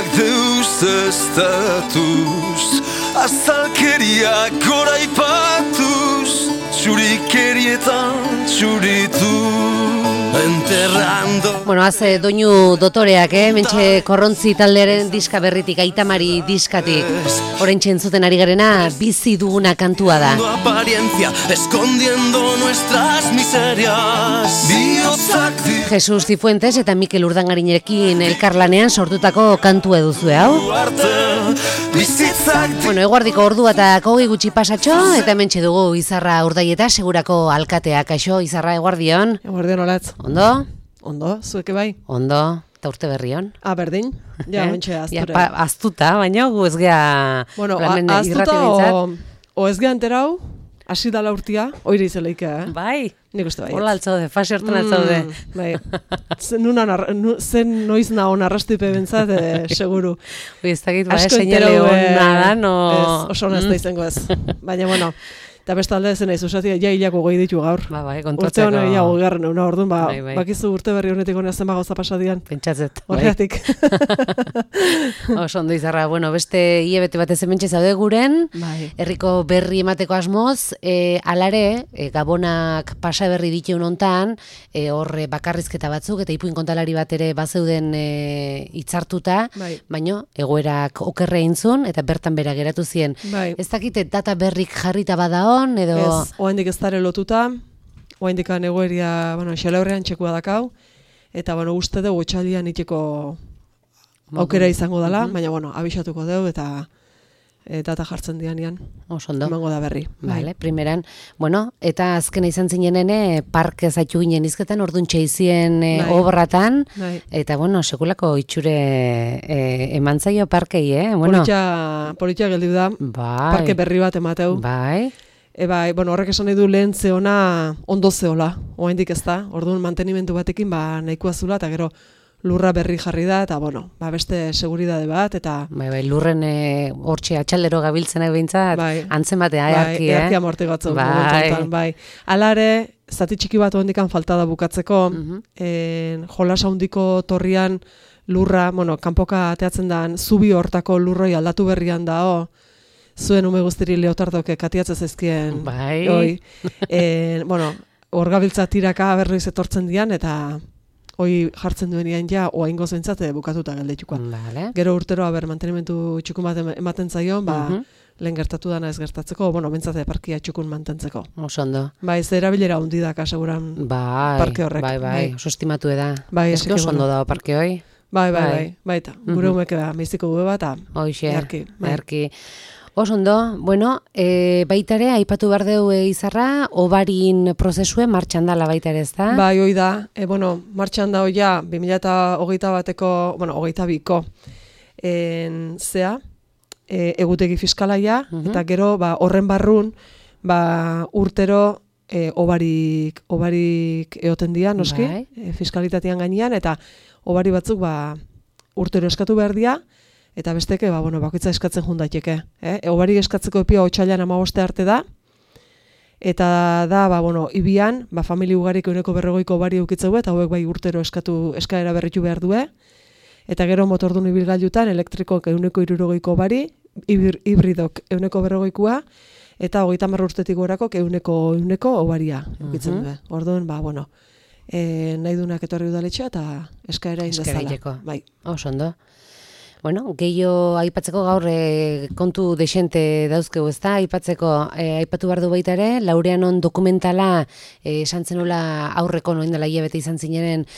Bizitzak deuseztatuz, azalkeriak goraipatuz, txurikerietan txuritu. Enterrando. Bueno, haze doinu dotoreak, mentxe korrontzi taldearen diska berritik, Aitamari diskatik. Oraintxe entzuten ari garena, bizi duguna kantua da. Apariencia, escondiendo nuestras miserias. Jesus Cifuentes eta Mikel Urdangarinekin elkarlanean sortutako kantua duzue hau. Bueno, eguardiko ordua eta 20 gutxi pasatxo, eta hementxe dugu Izarra Urdaieta segurako alkateak. Kaixo, Izarra, eguardion. Eguardion, olatz. Ondo? Ondo, zueke bai? Ondo, eta urte berrion. Berdin, ja, mentxe azture. Ja, aztuta, baina gu ez gea... Bueno, aztuta o ez gea enterau, hasi dala urtia, oire izeleik, Bai. Nik uste bai. Hola altzaude, fase hortan altzaude. Bai. Zen noiz nahon arrastipe bentzat, seguru. Ez dakit, seinale hona da, no... Oso hona ez da izango ez. Baina, bueno... Eta bestalde zen naiz, usatia, ja hilako gehi ditu gaur. Bai, kontatzeko. Urte hona gehiago garren, una orduan, bai. Bakizu urte berri honetik hona zenba gauza pasadian. Pentsatzet. Horregatik. Oso ondo Izarra, bueno, beste hilabete batez hementxe zaude guren, herriko berri emateko asmoz, alare, gabonak pasa berri diteun hontan, horre bakarrizketa batzuk, eta ipuin kontalari bat ere bazeuden hitzartuta, baino, egoerak okerre intzun, eta bertan bera geratu zien. Ez dakite data berrik jarrita badao, edo... Ez, oaindik ez dara lotuta, oaindik egoeria, xelaurrean txekua dakau, eta, uste dugu txalian iteko aukera izango dela, baina, abixatuko dugu, eta data jartzen dianean. Osondo. Emango da berri. Vale, primeran. Bueno, eta azkena izan zinenene, parke zaitu ginen izketan, orduan txeizien obratan, eta, sekulako itxure eman zaio parkei, Politia geldiu da, parke berri bat emateu. Bai. Horrek esan nahi du lehen zeona ondo zeola, oaindik ez da, orduan mantenimentu batekin nahikoa zula, eta gero lurra berri jarri da, eta beste seguridade bat, eta... Bai, lurren hortxe atxaldero gabiltzenak behintzat, antzematea, earki, earki amortigatzen. Bai. Alare, zati txiki bat oendikan falta da bukatzeko, jolas handiko torrian lurra, kanpoka ateatzen dan, zubi hortako lurroi aldatu berrian da, zuen ume guztiri leotardoke katiatzen zaizkien. Bai. Hor gabiltza tiraka berriz etortzen dian, eta hoi jartzen duenian oaingo zentzat bukatuta geldeituko. Gero urtero mantenimentu txukun bat ematen zaion, lehen gertatu dana ez gertatzeko, bentsate parkia txukun mantentzeko. Osondo. Bai, ze erabilera hundidak aseguran parke horrek. Bai, oso estimatu eda. Bai, eski osondo da parke hoi. Bai, eta gure umeke miziko gube bat, earki. Osondo, baitare, aipatu behar deu Izarra, obarin prozesue martxan dala baitare ez da? Bai, hoi da, martxan da hoia, 2021 bateko, 22ko, egutegi fiskalaia, eta gero, horren barrun, urtero, obarik eoten dira, noski, fiskalitatean gainean, eta obari batzuk, urtero eskatu behar dira, eta besteke, bakoitza eskatzen jundaiteke. Obari eskatzeko epia otsailean 15 arte da, eta da, ibian, famili ugarik 140ko obari eukitzeu, eta hauek urtero eskaera berritu behar due, eta gero motordun ibilgailutan elektrikok 160ko obari, hibridok 140koa, eta 30 urtetik gorako 100ko obaria eukitzen du. Orduan, nahi dunak etorri udaletxea, eta eskaera indezala. Bai. Osondo. Gehiago aipatzeko gaur kontu desente dauzkegu, ez da? Aipatu behar du baita ere, Laureanon dokumentala esan zenula aurreko noin dela hilabete izan zineren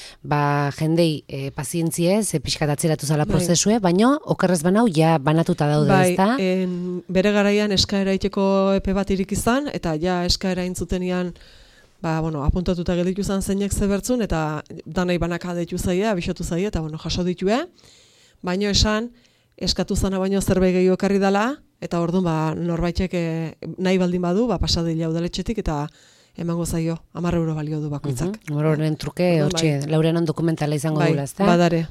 jendei pazientziez, pixkat atzeratu zala prozesue, baina okerrez banau ja banatuta daude, ez da? Bere garaian eskaera iteko epe bat irik izan, eta eskaera intzutenian apuntatuta gelditu izan zeinek zebertzun, eta danai banaka deitu zaie, abixatu zaie, eta jaso ditue. Baino esan, eskatu zana baino zerbait gehiago ekarri dela, eta orduan norbaitek nahi baldin badu, pasadila udaletxetik, eta emango zaio, 10 euro balio du bakoitzak. Horren truke, hortxe, Laureanon dokumentala izango dula, ez da? Badare.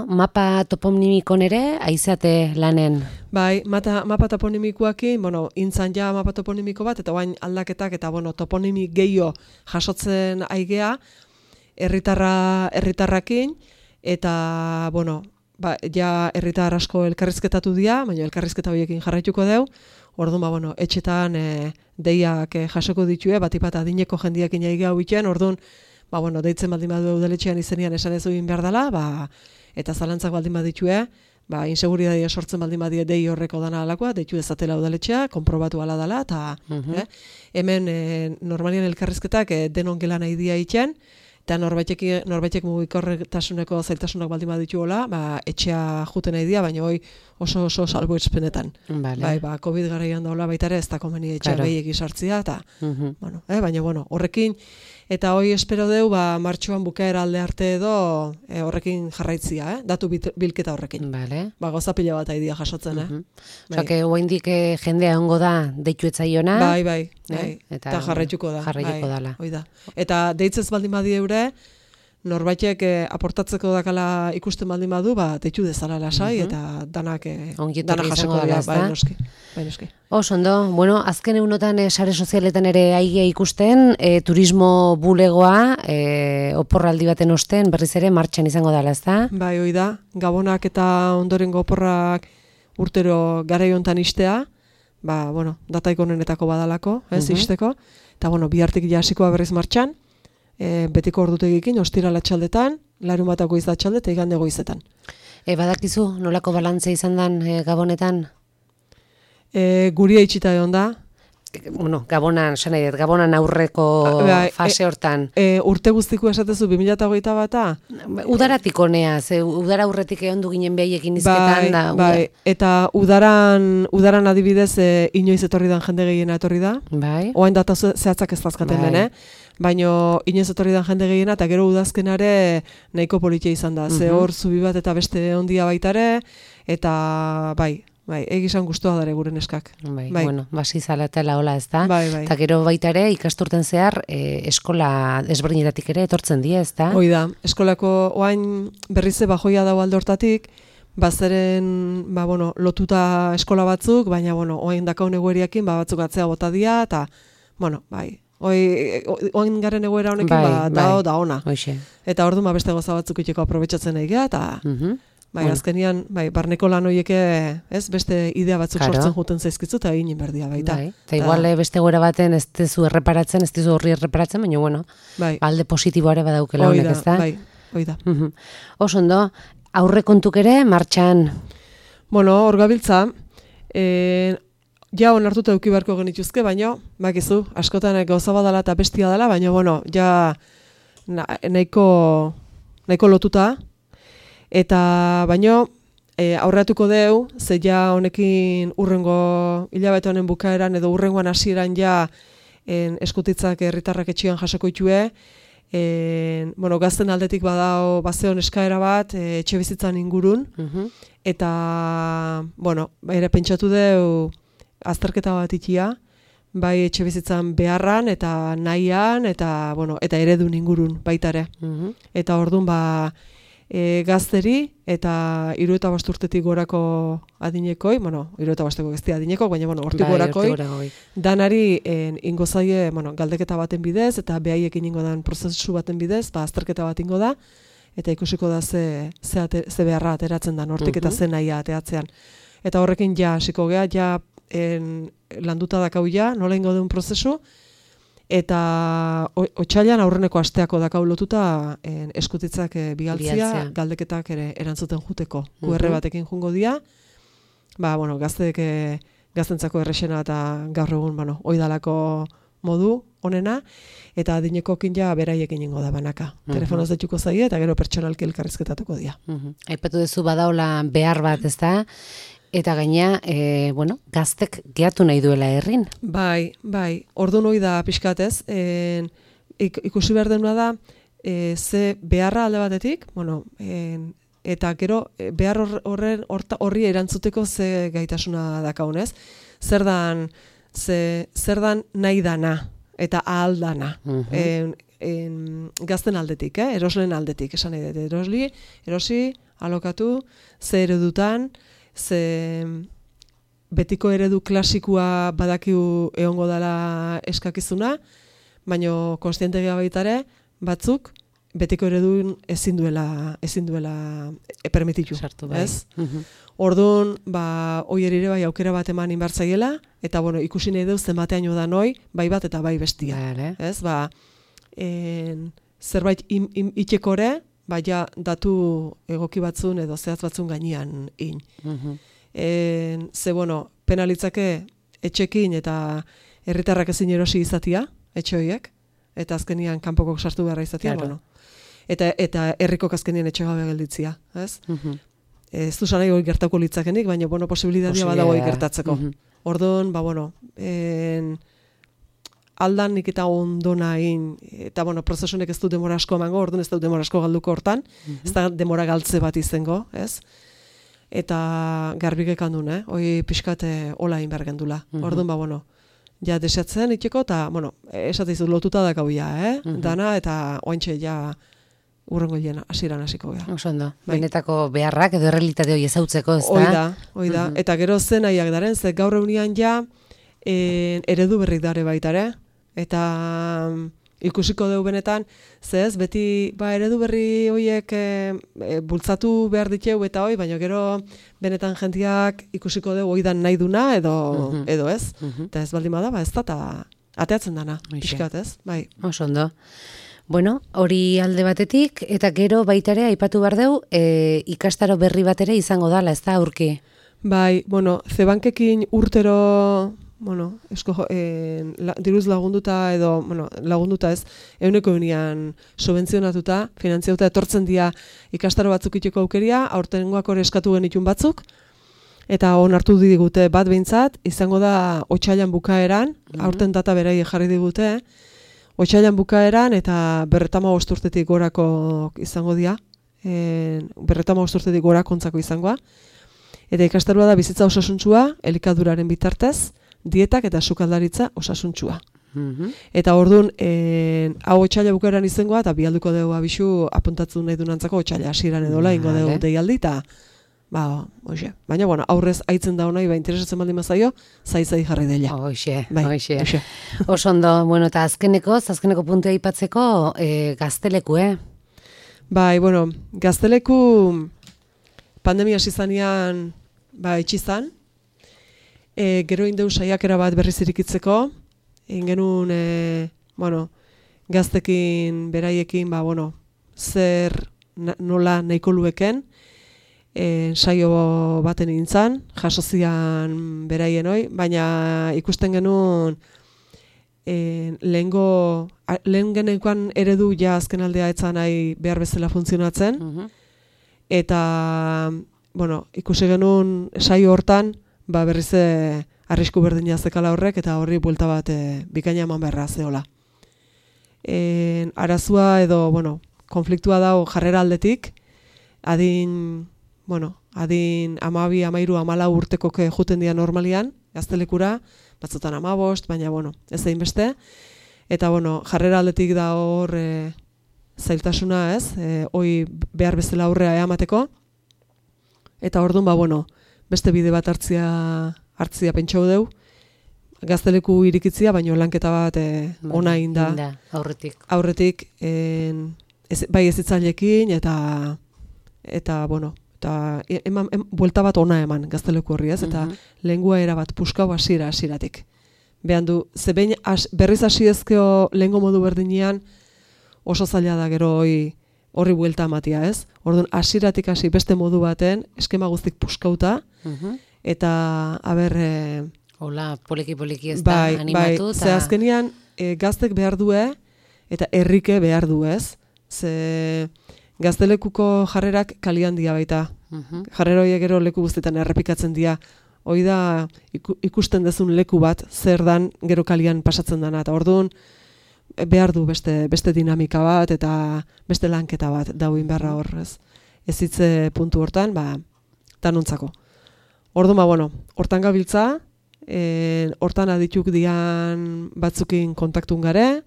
Mapa toponimikon ere, aizate lanen? Bai, mapa toponimikoakin, intzan mapa toponimiko bat, eta bain aldaketak, eta toponimik gehiago jasotzen aigea, herritarrakin, eta, ja herritar asko elkarrizketatu dira, baina elkarrizketa horiekin jarraituko deu. Orduan, etxetan deiak jasoko ditue, batipat adineko jendiakin jaiga hau bitxen, orduan, deitzen baldin badu udaletxean izenian esan ez egin behar dela, eta zalantzak baldin baditue, inseguridadia sortzen baldin badie dei horreko dana alakoa, deitu dezatela udaletxea, konprobatu ala dela, eta hemen normalian elkarrizketak denon gela nahi dia itxen, eta norbaitek mugikorretasuneko zailtasunak baldin baditu hola, etxea juten nahi dia, baina oso salbuespenetan. COVID garaian daula baitare, ez da komeni etxea behiek izartzia, eta, baina, horrekin, eta hoi espero deu, martxoan bukaera alde arte edo horrekin jarraitzia, datu bilketa horrekin. Gauza pila bat aidia jasotzen, Osa, oaindik jendea ongo da deitu etzaiona. Bai, eta jarraituko da. Jarraituko dala. Eta deitzez baldin badie eure, norbaitek aportatzeko dakala ikusten baldin badu, deitu dezala lasai, eta danak jasoko dira, noski. Ondo, azken egunotan sare sozialetan ere aigea ikusten, turismo bulegoa, oporraldi baten osten, berriz ere martxan izango dela, ezta? Bai, hoi da, gabonak eta ondorengo oporrak urtero garai hontan istea, dataik honenetako badalako, isteko, eta bihartik jasikoa berriz martxan, betiko ordutegikin, ostirala txaldetan, larunbata goiz da txalde, eta igande goizetan. Badakizu, nolako balantzea izan dan gabonetan? Guria itxita egon da. Gabonan aurreko fase hortan. Urte guztiko esatezu 2021-a? Udaratik honea, udara aurretik egon du ginen behaiekin izketan. Eta udaran adibidez inoiz etorri dan jende gehiena etorri da. Oain data zehatzak ez dazkaten den, baina inoiz etorri dan jende gehiena, eta gero udazkenare nahiko politia izan da. Ze hor zubi bat eta beste ondia baitare, eta egizan guztua dare gure neskak. Basi zalatela hola ez da. Eta gero baita ere ikasturten zehar eskola desberdinetatik ere etortzen die, ez da? Hoi da, eskolako oain berrize bajoia dago alde hortatik, bazeren lotuta eskola batzuk, baina oain dakaun egoeriakin batzuk atzea bota dia, eta oain garen egoera honekin da ona. Eta orduan beste goza batzuk itxeko aprobetxatzen nahi geha, eta azkenian, barneko lan horieke, beste idea batzuk sortzen juten zaizkitzu, eta egin berdia baita. Eta igual beste goera baten ez dizu erreparatzen, ez dizu horri erreparatzen, baina, alde positiboare badaukela honek, ez da? Hoi da. Oso ondo, aurre kontuk ere, martxan? Hor gabiltza, ja onartuta eduki beharko genituzke, baina, bakizu, askotan gauza badala eta bestia dela, baina, ja nahiko lotuta, eta baino aurreatuko deu, ze ja honekin urrengo hilabete honen bukaeran edo urrengoan hasieran ja eskutitzak herritarrak etxean jasoko itue, gazten aldetik badao bazeon eskaera bat etxe bizitzan ingurun, eta ere pentsatu deu azterketa bat itia, bai etxe bizitzan beharran eta nahian, eta eredun ingurun baitare. Eta orduan gazteri eta 75 urtetik gorako adinekoi, 75 ez dira adinekoi, baina hortik gorakoi, danari ingo zaie galdeketa baten bidez, eta behaiekin ingo dan prozesu baten bidez, azterketa bat ingo da, eta ikusiko da ze beharra ateratzen da, hortik eta ze nahia ateatzean. Eta horrekin ja hasiko gea, ja landuta dakau ja, nola ingo duen prozesu, eta otsailean aurreneko asteako dakau lotuta eskutitzak bigaltzia, galdeketak ere erantzuten juteko. QR batekin jungo dia, gaztentzako errexena eta gaur egun, oidalako modu onena, eta adinekokin ja beraiekin ingo da banaka. Telefonoz deituko zaie, eta gero pertsonalki elkarrizketatuko dia. Aipatu duzu badaola behar bat, ez da? Eta gaina, gaztek gehatu nahi duela herrin. Bai, orduan hori da pixkatez. Ikusi behar denua da, ze beharra alde batetik, eta gero behar horri erantzuteko ze gaitasuna dakaunez. Zer dan nahi dana eta ahal dana. Gazten aldetik, eroslen aldetik, esan nahi dut. Erosi, alokatu, ze eredutan, ze betiko eredu klasikua badakiu egongo dela eskakizuna, baina konstiente geha baitare, batzuk betiko eredun ezin duela permititu, ez? Orduan, hoi ere bai aukera bat eman inbartzaiela, eta bueno, ikusi nahi deu zenbateaino da noi, bai bat eta bai bestia. Ez? Zerbait itxekore, ja datu egoki batzun edo zehatz batzun gainean in. Ze, bueno, penalitzake etxekin eta herritarrak ezin erosi izatia, etxe horiek, eta azkenian kanpokok sartu beharra izatia, bueno. Eta herrikok azkenian etxe gabe gelditzia, ez? Ez du sanai hori gertako litzakenik, baina, bueno, posibilitatea badago gertatzeko. Orduan, bueno, aldan nik eta ondona egin, eta, bueno, prozesunek ez du demora asko emango, orduan ez du demora asko galduko hortan, ez da demora galtze bat izango, ez? Eta garbik ekandun, hoi pixkate hola egin behar gendula. Orduan, bueno, ja deseatzen itxeko, eta, bueno, esateizu lotuta dakau ja, dana, eta ointxe ja urrengo hilean hasieran hasiko gara. Osondo, benetako beharrak edo errealitate hori ezautzeko, ez da? Hoi da, eta gero zen nahiak daren, ze gaur eunian ja eredu berrik dare baitare, eta ikusiko dugu benetan, ze ez, beti eredu berri horiek bultzatu behar diteu eta hoi, baina gero benetan jentiak ikusiko dugu oidan nahi duna edo ez, eta ez baldin bada, ez da, eta ateatzen dana, pixkat ez, bai. Osondo. Bueno, hori alde batetik, eta gero baitare aipatu behar deu, ikastaro berri bat ere izango dala, ez da, aurki? Bai, bueno, Zebankekin urtero, bueno, diruz lagunduta edo, bueno, lagunduta ez, euneko eunian subentzionatuta, finanziauta etortzen dira ikastaro batzuk itxeko aukeria, aurtengoak hori eskatu genitun batzuk, eta onartu digute bat behintzat, izango da otsailean bukaeran, aurten data berai jarri digute, otsailean bukaeran eta 55 urtetik gorako izango dira, 55 urtetik gorakontzako izangoa, eta ikastaroa da bizitza osasuntsua, elikaduraren bitartez, dietak eta sukaldaritza osasuntsua. Eta orduan, hau otsaila bukaeran izangoa, eta bialduko dugu abisu apuntatzen nahi dunantzako otsaila hasieran edola, ingo dugu deialdi, eta hoxe. Baina, bueno, aurrez aitzen da honai, interesatzen baldin mazaio, zai jarri dela. Hoxe. Osondo, bueno, eta azkeneko puntua aipatzeko Gazteleku, Bai, bueno, Gazteleku pandemia zizanean, itxizan, gero indeu saiakera bat berriz irikitzeko, ingenun, gaztekin, beraiekin, zer nola nahiko lueken, saio baten nintzen, jasozian beraien hoi, baina ikusten genuen lehen genekoan eredu ja azken aldea etzan nahi behar bezala funtzionatzen, eta ikusi genuen saio hortan, berriz arrisku berdina zekala horrek, eta horri buelta bat bikaina eman beharra zehola. Arazua edo, konfliktua dago jarrera aldetik, adin 12, 13, 14 urtekok juten dira normalian, Gaztelekura, batzutan 15, baina, ez egin beste. Eta, jarrera aldetik da hor zailtasuna, ez? Hoi behar bezala aurrea eamateko. Eta orduan, beste bide bat hartzia pentsau deu. Gazteleku irikitzia, baina lanketa bat ona inda. Aurretik, bai ezitzailekin, eta buelta bat ona eman Gazteleku horri, ez? Eta lengua erabat puskau hasieratik. Behan du, ze behin berriz hasi ezkeo lengo modu berdinean oso zaila da gero horri buelta ematia, ez? Orduan, hasieratik hasi beste modu baten, eskema guztik puskauta, eta, hola, poliki ez da animatu. Ze azkenian, gaztek behar due, eta herrike behar du, ez? Ze Gaztelekuko jarrerak kalian dia baita. Jarrera horiek gero leku guztietan errepikatzen dira. Hoi da ikusten dezun leku bat, zer dan gero kalian pasatzen dana. Eta orduan behar du beste dinamika bat eta beste lanketa bat dauin beharra horrez. Ez hitze puntu hortan, tanontzako. Orduan, hortan gabiltza, hortan adituk dian batzukin kontaktun gare,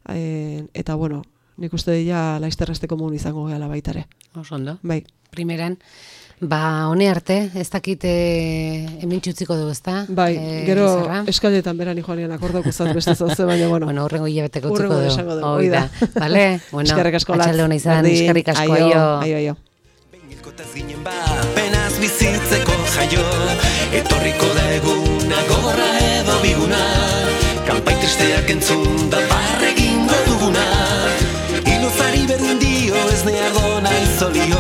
eta, nik uste dira laizterresteko mun izango gehala baitare. Osondo. Bai. Primeran, Hone arte, ez dakit hemen txutziko du, ezta? Bai, gero eskailetan berani joanian akordauko zat beste zauze, baina bueno. Bueno, urrengo hilabeteko utziko du. Urrengo esango du, hoi da. Vale? Bueno, eskerrik asko latz. Atxalde hona izan, eskerrik asko, aio. Benilkotaz ginen penaz bizitzeko jaio, etorriko da eguna gogorra edo biguna, kanpai tristeak entzun da barregingo duguna, iluzari berdin dio ez neardona izolio.